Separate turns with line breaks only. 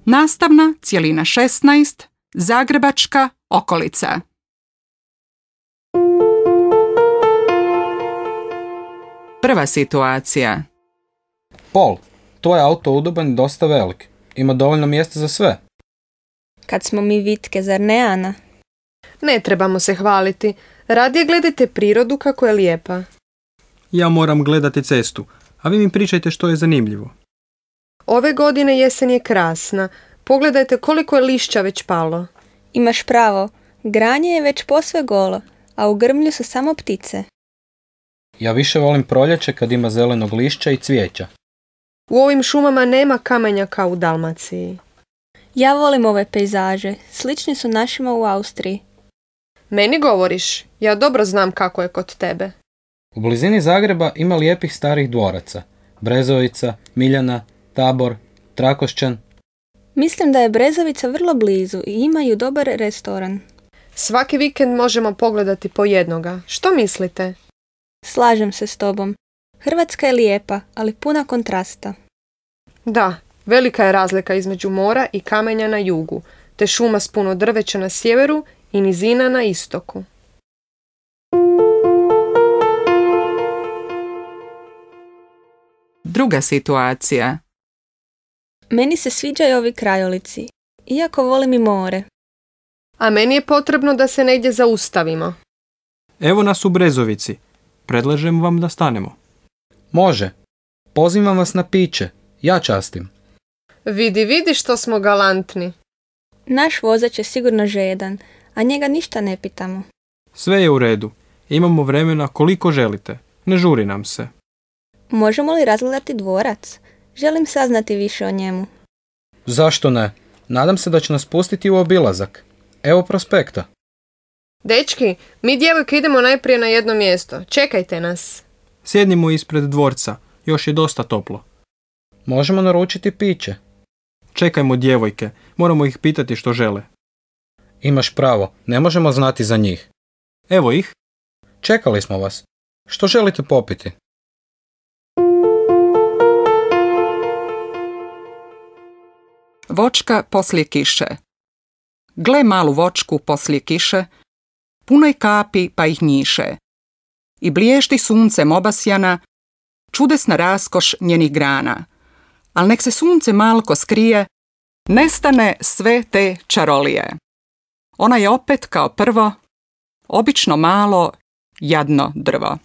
Nastavna cjelina 16, Zagrebačka okolica. Prva situacija.
Pol, tvoj auto udoban i dosta velik. Ima dovoljno mjesta za sve.
Kad smo mi vitke, zar ne, Ana?
Ne trebamo se hvaliti. Radije gledajte prirodu kako je lijepa.
Ja moram gledati cestu, a vi mi pričajte što je zanimljivo.
Ove godine jesen je krasna. Pogledajte koliko je lišća već palo.
Imaš pravo, granje je već posve golo, a u grmlju su samo ptice.
Ja više volim proljeće kad ima zelenog lišća i cvijeća.
U ovim šumama nema kamenja kao u Dalmaciji.
Ja volim ove pejzaže, slični su našima u Austriji.
Meni govoriš, ja dobro znam kako je kod tebe.
U blizini Zagreba ima lijepih starih dvoraca. Brezovica, Miljana, Tabor, Trakošćan.
Mislim da je Brezovica vrlo blizu i imaju dobar restoran.
Svaki vikend možemo pogledati po jednoga. Što mislite?
Slažem se s tobom. Hrvatska je lijepa, ali puna kontrasta.
Da, velika je razlika između mora i kamenja na jugu, te šuma s puno drveća na sjeveru i nizina na istoku.
Druga situacija.
Meni se sviđaju ovi krajolici, iako volim i more.
A meni je potrebno da se negdje zaustavimo.
Evo nas u Brezovici. Predlažem vam da stanemo.
Može. Pozivam vas na piće. Ja častim.
Vidi što smo galantni.
Naš vozač je sigurno žedan, a njega ništa ne pitamo.
Sve je u redu. Imamo vremena koliko želite. Ne žuri nam se.
Možemo li razgledati dvorac? Želim saznati više o njemu.
Zašto ne? Nadam se da će nas pustiti u obilazak. Evo prospekta.
Dečki, mi djevojke idemo najprije na jedno mjesto. Čekajte nas.
Sjednimo ispred dvorca. Još je dosta toplo.
Možemo naručiti piće.
Čekajmo djevojke. Moramo ih pitati što žele.
Imaš pravo. Ne možemo znati za njih.
Evo ih.
Čekali smo vas. Što želite popiti?
Vočka poslije kiše. Gle malu vočku poslije kiše, punoj kapi pa ih njiše. I bliješti suncem obasjana, čudesna raskoš njenih grana. Al nek se sunce malko skrije, nestane sve te čarolije. Ona je opet kao prvo, obično malo, jadno drvo.